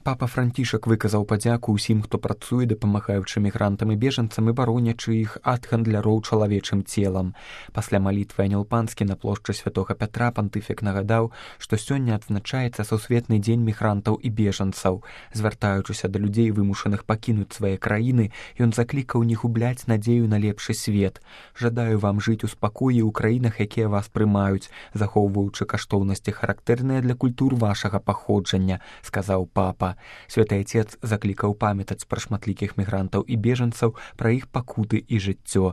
Папа Францішак выказаў падзяку ўсім, хто працуе, дапамагаючы мігрантам і бежанцам і баронячы іх ад гандляроў чалавечым целам. Пасля малітвы Анёл Панскі на плошчы Святога Пятра пантыфік нагадаў, што сёння адзначаецца сусветны дзень мігрантаў і бежанцаў. Звяртаючыся да людзей, вымушаных пакінуць свае краіны, ён заклікаў не губляць надзею на лепшы свет. Жадаю вам жыць у спакоі ў краінах, якія вас прымаюць, захоўваючы каштоўнасці, характэрныя для культур вашага паходжання, сказаў папа. Святы Отец заклікаў памятаць пра шматлікіх мігрантаў і бежанцаў, пра іх пакуты і жыццё.